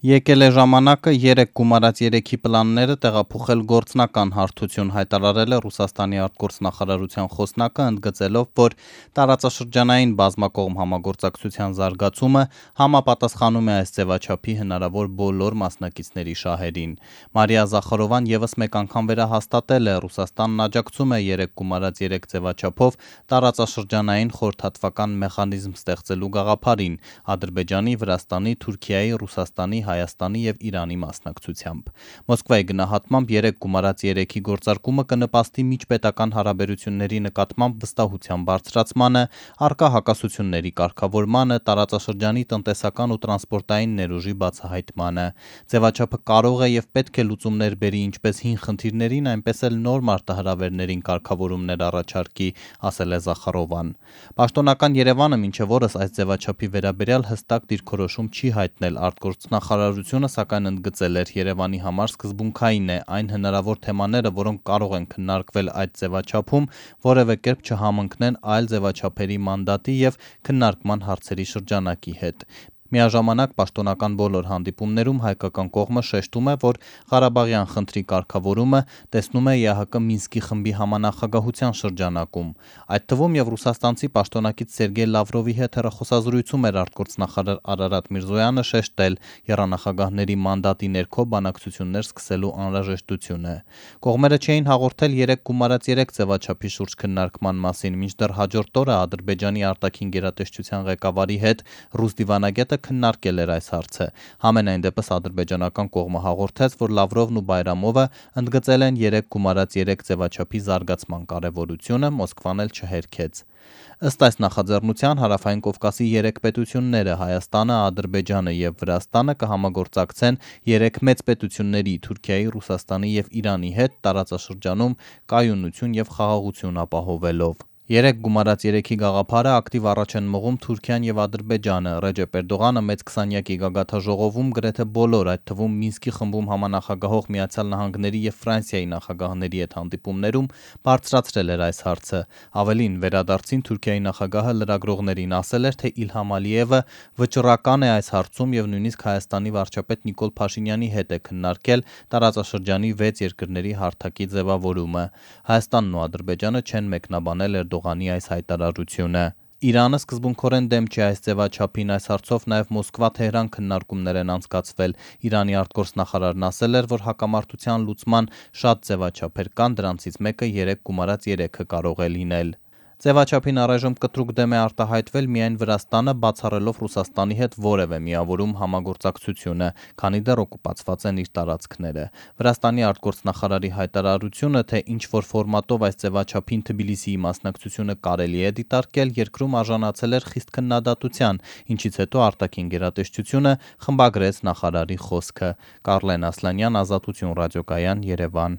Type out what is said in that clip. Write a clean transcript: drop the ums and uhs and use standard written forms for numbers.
Եկել է ժամանակը 3 գումարած 3-ի պլանները տեղափոխել գործնական հարթություն, հայտարարել է Ռուսաստանի արտգործնախարարության խոսնակը, ընդգծելով, որ տարածաշրջանային բազմակողմ համագործակցության զարգացումը համապատասխանում է այս ձևաչափի հնարավոր բոլոր մասնակիցների շահերին։ Մարիա Զախարովան եւս մեկ անգամ վերահաստատել է, Ռուսաստանն աջակցում է 3 գումարած 3 ձևաչափով տարածաշրջանային խորհրդատվական մեխանիզմ ստեղծելու գաղափարին Ադրբեջանի, Վրաստանի, Թուրքիայի, Ռուսաստանի, Հայաստանի եւ Իրանի մասնակցությամբ։ Մոսկվայի գնահատմամբ 3 գումարած 3-ի գործարկումը կնպաստի միջպետական հարաբերությունների նկատմամբ վստահության բարձրացմանը, առկա հակասությունների կարգավորմանը, տարածաշրջանի տնտեսական ու տրանսպորտային ներուժի բացահայտմանը։ Ձևաչափը կարող է եւ պետք է լուծումներ բերի ինչպես հին խնդիրներին, այնպես էլ նոր մարտահրավերներին կարգավորումներ առաջարկի, ասել է Զախարովան։ Պաշտոնական Երևանը մինչև օրս այս ձևաչափի վերաբերյալ հստակ դիրքորոշում չի հայտնել, արտգործնախարարությունը սակայն ընդգծել էր, Երևանի համար սկզբունքային է այն հնարավոր թեմաները, որոնք կարող են քննարկվել այդ ձևաչափում, որևէ կերպ չհամընկնեն այլ ձևաչափերի մանդատի եւ քննարկման հարցերի շրջանակի հետ։ Միաժամանակ պաշտոնական բոլոր հանդիպումներում հայկական կողմը շեշտում է, որ Ղարաբաղյան խնդրի կարգավորումը տեսնում է ԵԱՀԿ Մինսկի խմբի համանախագահության շրջանակում։ Այդ թվում եւ ռուսաստանցի պաշտոնակից Սերգեյ Լավրովի հետ հեռախոսազրույցում էր արտգործնախարար Արարատ Միրզոյանը շեշտել եռանախագահների մանդատի ներքո բանակցություններ սկսելու անհրաժեշտությունը։ Կողմերը չէին հաղորդել 3 գումարած 3 ձևաչափի շուրջ քննարկման մասին, մինչդեռ հաջորդ օրը Ադրբեջանի արտաքին գերատեսչության ղեկավարի հետ ռուս դիվանագետը քննարկել էր այս հարցը։ Համենայն դեպս ադրբեջանական կողմը հաղորդեց, որ Լավրովն ու Բայրամովը ընդգծել են 3 գումարած 3 ձևաչափի զարգացման կարևորությունը, Մոսկվան էլ չհերքեց։ Ըստ այս նախաձեռնության Հարավային Կովկասի 3 պետությունները՝ Հայաստանը, Ադրբեջանը եւ Վրաստանը կհամագործակցեն 3 մեծ պետությունների՝ Թուրքիայի, Ռուսաստանի եւ Իրանի հետ տարածաշրջանում կայունություն եւ խաղաղություն ապահովելով։ 3 գումարած 3-ի գաղափարը ակտիվ առաջ են մղում Թուրքիան եւ Ադրբեջանը։ Ռեջեփ Էրդողանը մեծ 20-յակի գագաթաժողովում գրեթե բոլոր, այդ թվում Մինսկի խմբում համանախագահող Միացյալ Նահանգների եւ Ֆրանսիայի նախագահների հետ հանդիպումներում բարձրացրել էր այս հարցը։ Ավելին, վերադարձին Թուրքիայի նախագահը լրագրողներին ասել էր, թե Իլհամ Ալիևը վճռական է այս հարցում եւ նույնիսկ Հայաստանի վարչապետ Նիկոլ Փաշինյանի հետ է քննարկել տարածաշրջանի 6 երկրների հարթակի ձևավորումը։ Հայաստանն ու Ադրբեջանը չեն մեկնաբանել Էրդողանի այս հայտարարությունը։ Իրանը սկզբունքորեն դեմ չի այս ձևաչափին, այս հարցով նաև Մոսկվա-Թեհրան քննարկումներ են անցկացվել։ Իրանի արտգործնախարարն ասել էր, որ հակամարտության լուծման շատ ձևաչափեր կան, դրանցից մեկը 3 գումարած 3-ը կարող է լինել։ Ձևաչափին առայժմ կտրուկ դեմ է արտահայտվել միայն Վրաստանը, բացառելով Ռուսաստանի հետ որևէ միավորում համագործակցությունը, քանի դեռ օկուպացված են իր տարածքները։ Վրաստանի արտգործնախարարի հայտարարությունը, թե ինչ որ ֆորմատով այս ձևաչափին Թբիլիսիի մասնակցությունը կարելի է դիտարկել, երկրում արժանացել էր խիստ քննադատության, ինչից հետո արտաքին գերատեսչությունը խմբագրեց նախարարի խոսքը։ Կարլեն Ասլանյան, Ազատություն ռադիոկայան, Երևան։